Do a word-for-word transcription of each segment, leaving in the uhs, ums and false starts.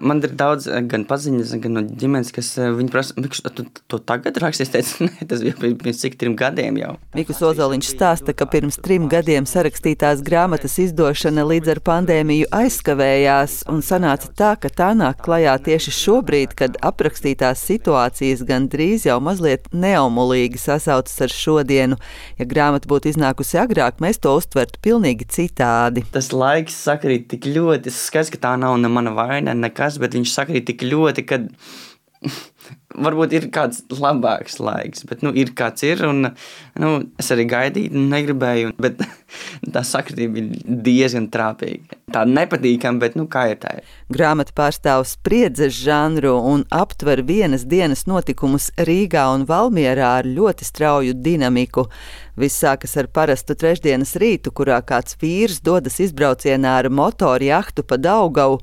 Man ir daudz gan paziņas, gan no ģimenes, kas viņi prasa, Mikus, tu to tagad rakstīsi? Es teicu, nē, tas bija pirms cik trim gadiem jau. Mikus Ozoliņš stāsta, ka pirms trim gadiem sarakstītās grāmatas izdošana līdz ar pandēmiju aizkavējās un sanāca tā, ka tā nāk klajā tieši šobrīd, kad aprakstītās situācijas gan drīz jau mazliet neomulīgi sasaucas ar šodienu. Ja grāmata būtu iznākusi agrāk, mēs to uztvertu pilnīgi citādi. Tas laiks sakrīt tik ļoti, es skaidrs, ka tā nav ne mana vaina, nekas, bet viņš sakrīt tik ļoti, ka varbūt ir kāds labāks laiks, bet nu, ir kāds ir, un nu, es arī gaidīju, negribēju, bet tā sakritība ir diezgan trāpīga. Tā nepatīkama, bet nu, kā ir tā? Grāmata pārstāv spriedzes žanru un aptver vienas dienas notikumus Rīgā un Valmierā ar ļoti strauju dinamiku. Viss sākas ar parastu trešdienas rītu, kurā kāds vīrs dodas izbraucienā ar motoru jahtu pa Daugavu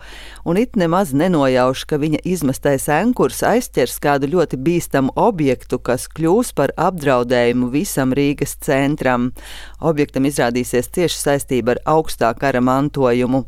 un it nemaz nenojauš, ka viņa izmestais enkurs aizķers kādu ļoti bīstamu objektu, kas kļūs par apdraudējumu visam Rīgas centram. Objektam izrādīsies cieši saistība ar augstā kara mantojumu.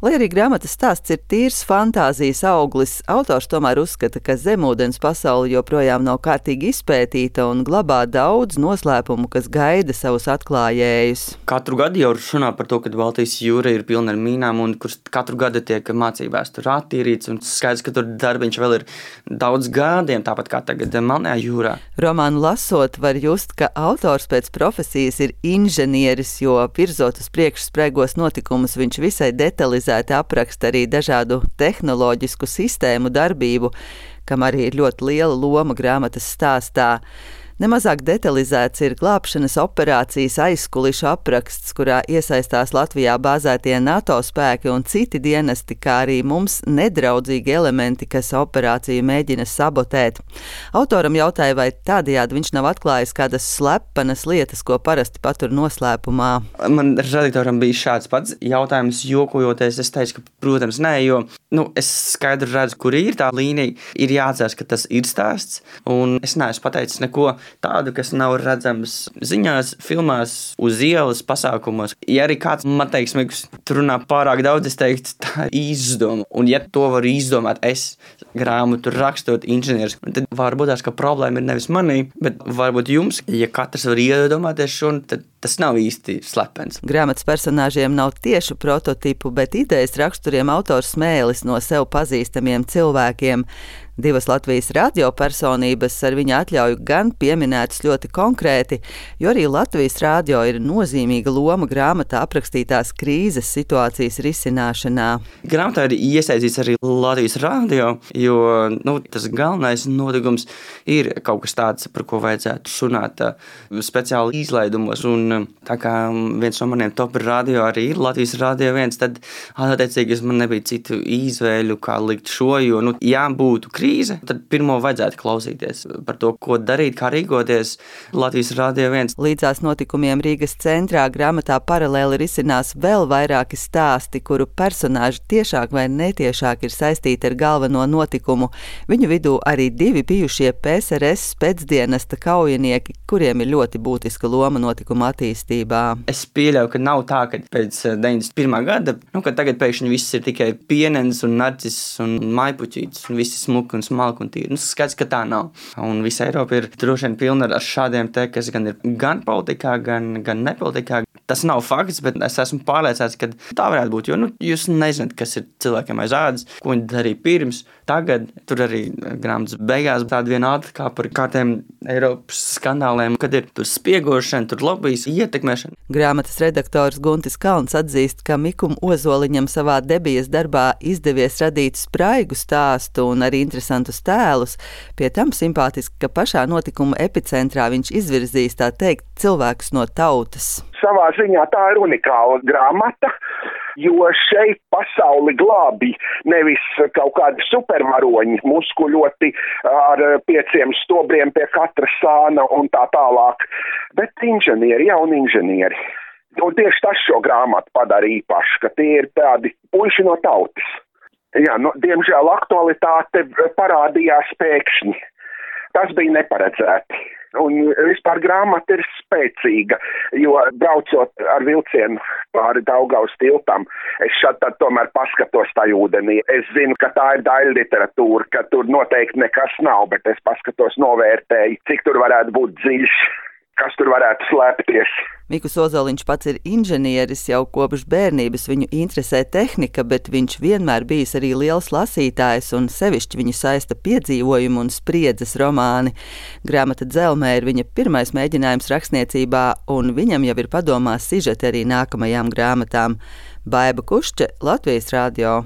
Lai arī grāmatas stāsts ir tīrs fantāzijas auglis, autors tomēr uzskata, ka zemūdens pasaule joprojām nav kārtīgi izpētīta un glabā daudz noslēpumu, kas gaida savus atklājējus. Katru gadu jau runā par to, ka Baltijas jūra ir pilna ar mīnām un kurš katru gadu tiek mācībās tur attīrīts un skaidrs, ka tur darbiņš vēl ir daudz gadiem, tāpat kā tagad Melnajā jūrā. Romānu lasot var just, ka autors pēc profesijas ir inženieris, jo virzot uz priekšu spraigos notikumus viņš visai detalizēti apraksta arī dažādu tehnoloģisku sistēmu darbību, kam arī ir ļoti liela loma grāmatas stāstā. Nemazāk detalizēts ir glābšanas operācijas aizkulišu apraksts, kurā iesaistās Latvijā bāzētie NATO spēki un citi dienesti, kā arī mums nedraudzīgi elementi, kas operāciju mēģina sabotēt. Autoram jautāja, vai tādējādi viņš nav atklājis kādas slepenas lietas, ko parasti patur noslēpumā. Man redaktoram bija šāds pats jautājums, jokojoties, es teicu, ka, protams, nē, jo nu, es skaidri redzu, kur ir tā līnija, ir jāatcerās, ka tas ir stāsts, un es neesmu pateicis neko tādu, kas nav redzams ziņās, filmās, uz ielas, pasākumos. Ja arī kāds man teiks, Mikus, tur runā pārāk daudz, es teiktu, tā izdoma. Un ja to var izdomāt es, grāmatu rakstot inženieris, tad varbūt tās, ka problēma ir nevis manī, bet varbūt jums, ja katrs var iedomāties šo, tad tas nav īsti slepens. Grāmatas personāžiem nav tiešu prototipu, bet idejas raksturiem autors smēlis no sev pazīstamiem cilvēkiem. Divas Latvijas radiopersonības ar viņa atļauju gan pieminētas ļoti konkrēti, jo arī Latvijas radio ir nozīmīga loma grāmatā aprakstītās krīzes situācijas risināšanā. Grāmatā ir iesaistīts arī Latvijas radio, jo nu, tas galvenais notikums ir kaut kas tāds, par ko vajadzētu runāt speciāli izlaidumos. Un tā kā viens no maniem top radio arī ir Latvijas radio viens, tad attiecīgi man nebija citu izvēļu, kā likt šo, jo nu, jā, būtu krīze. Tad pirmo vajadzētu klausīties par to, ko darīt, kā rīkoties Latvijas radio viens. Līdzās notikumiem Rīgas centrā grāmatā paralēli risinās vēl vairāki stāsti, kuru personāži tiešāk vai netiešāk ir saistīti ar galveno notikumu. Viņu vidū arī divi bijušie P S R S pēcdienesta kaujinieki, kuriem ir ļoti būtiska loma notikuma attīstībā. Es pieļauju, ka nav tā, ka pēc deviņdesmit pirmā gada, nu, ka tagad pēkšņi viss ir tikai pienens un narcis un maipuķītis un viss smuki un smalki un tīri. Nu, skaidrs, ka tā nav. Un visa Eiropa ir droši vien pilna ar šādiem te, kas gan ir gan politikā, gan, gan nepolitikā. Tas nav fakts, bet es esmu pārliecināts, ka tā varētu būt, jo nu, jūs nezināt, kas ir cilvēkiem aiz ādas, ko viņi darīja pirms. Tagad tur arī grāmatas beigās tāda viena ātra kā par kārtiem Eiropas skandāliem, kad ir tur spiegošana, tur lobijas, ietekmēšana. Grāmatas redaktors Guntis Kalns atzīst, ka Mikum Ozoliņam savā debijas darbā izdevies radīt spraigu stāstu un arī interesantus tēlus. Pie tam simpātiski, ka pašā notikuma epicentrā viņš izvirzīs, tā teikt, cilvēkus no tautas. Savā ziņā tā ir unikāla grāmata, jo šeit pasauli glābi nevis kaut kādi supervaroņi, muskuļoti ar pieciem stobriem pie katra sāna un tā tālāk, bet inženieri, jauni inženieri. Un tieši tas šo grāmatu padara īpaši, ka tie ir tādi puiši no tautas. Jā, nu, diemžēl aktualitāte parādījās pēkšņi. tas bija neparedzēti. Un vispār grāmata ir spēcīga, jo braucot ar vilcienu pāri Daugavas tiltam, es šad tad tomēr paskatos tajā ūdenī. Es zinu, ka tā ir daļa literatūra, ka tur noteikti nekas nav, bet es paskatos, novērtēju, cik tur varētu būt dziļš, kas tur varētu slēpties. Mikus Ozoliņš pats ir inženieris, jau kopš bērnības viņu interesē tehnika, bet viņš vienmēr bijis arī liels lasītājs un sevišķi viņu saista piedzīvojumu un spriedzes romāni. Grāmata Dzelmē ir viņa pirmais mēģinājums rakstniecībā, un viņam jau ir padomās sižeti arī nākamajām grāmatām. Baiba Kušče, Latvijas radio.